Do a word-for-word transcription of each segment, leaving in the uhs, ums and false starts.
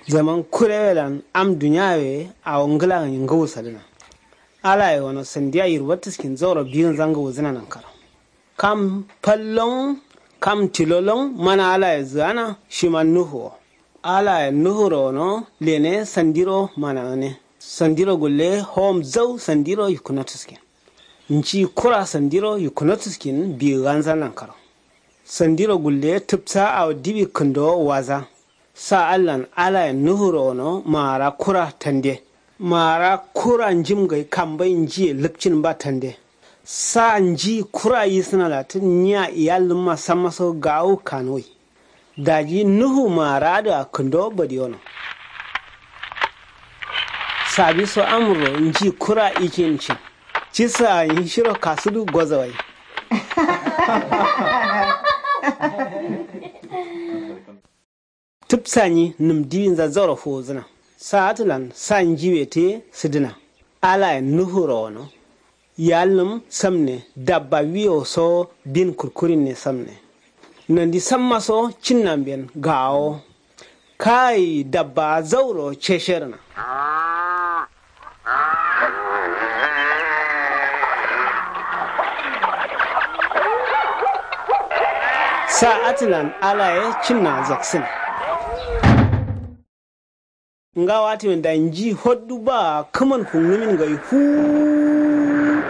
Zaman kurewelan am duniyawe awo ngla ngǝwu sadǝna. Alaye wono sandiya yirbatǝskin zauro biyinza ngǝwuzǝna nankaro. Kam fallon kam tilolon mana alaye zǝgana shima nuhu wo. Alaye nuhuro wono lene sandiro mana gǝne. Sandiro gulle hom zau sandiro yukkunotuskin. Nci kura sandiro yukkunotuskin biyinza nankaro. Sandiro gulle tǝbsa awo dibi kǝndo waza. Sa allan alayen nuhuro wono maara kura tande. Maara kura njim gai kambai njiye lǝkcin ba tande. Sa nji kura yisǝna latǝn nyiya iyallǝmma sammaso gawu kanuwai. Daji nuhu maara adǝa kǝndo badiyono. Sabiso amro nji kura ikin cin. Cisa nyi shiro kasudu gozowai. Tǝbsa nyi nǝm diwinza zauro fuwuzǝna. Sa atǝlan sa njiwe tǝye sǝdǝna. Alayen nuhu rowono. Yalnǝm samne dabba wiyo so bin kurkurinne samne. Nandi sammaso cinnamben gawo. Kai dabba zauro cesherǝna. Sa atǝlan alaye cinna zaksǝn. Ngawo atǝmin da nji hoddu ba kǝman kungnǝmin ngai huu.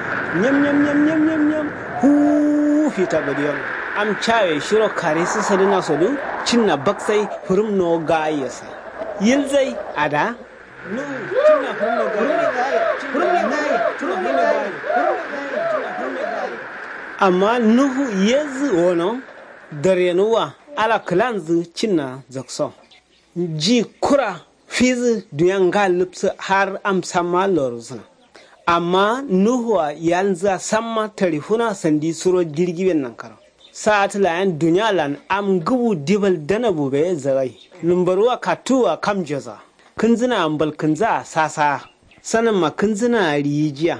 Nyam nyam nyam nyam nyam nyam huu fita godiyon. Am cawe shiro karisǝ sadǝna sodu cinna baksai fǝrǝm no gaye sai. Yilzai ada. Amma nuhu yezǝ wono. Darenuwa ala kǝlanzǝ cinna zakso. Nji kura fizǝ dunya nga lǝpsǝ har am samma lorusǝna. Amma nuhua yalnzǝa samma tarifuna sandi suro jirgiben nankaro. Sa atǝlayen dunyalan am ngǝbu dibal danabu be zagai. Nǝmbaruwa kattuwua kam joza. Kǝnzǝna mbal kǝnzǝa sasaa. Sanamma kǝnzǝna riyijiya.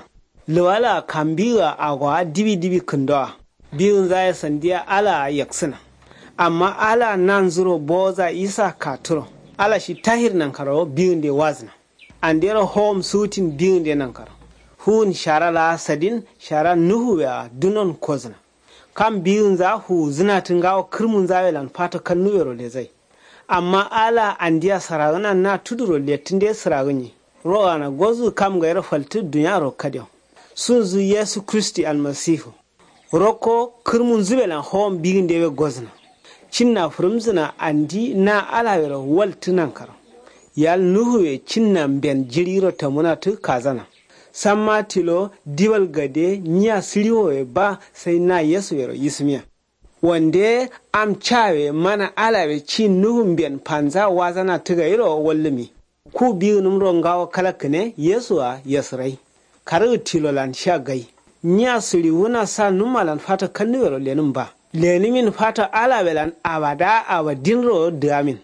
Lǝwala kambiga agowa dibi dibi kǝndowa. Biwunzaye sandiya alaa yaksǝna. Amma alaa nanzuro boza isa katuro. Ala shi tahir nankaro biwunde wazǝna. Andero howom sutin biwunde nankaro. Fuwun shara laa sadin shara nuhuwea dunon kozǝna. Kam biwunza fuwuzǝnatǝ ngawo kǝrmunzawelan fato kannuwero lezai. Amma alaa andia sǝragǝna na tuduro lettǝnde sǝragǝnyi. Ro gana gozǝ kam gairo faltǝ dunyaro kadewo. Sunzǝ yesu kristi almasifu. Rokko kǝrmunzǝbelan howom bigǝndewe gozǝna. Cinna fǝrǝmzǝna andi na alawero waltǝ nankaro. Yal nuhuwe cinna mben jiriro tamuna tǝ kazana. Samma tilo dibal gade nyiya sǝriwowe ba sai na yesuwero yisǝmiya. Wande am cawe mana alawe ci nuhu mben fanza wazana tǝgairo wallǝmi. Ku bigǝnǝmro ngawo kalakkǝne yesu-a yesǝrai. Karǝgǝ tilolan sha gai. Nyiya sǝriwuna sa nummalan fato kannuwero lenǝm ba. Lenǝmin fato alawelan abada abadinro dǝgamin.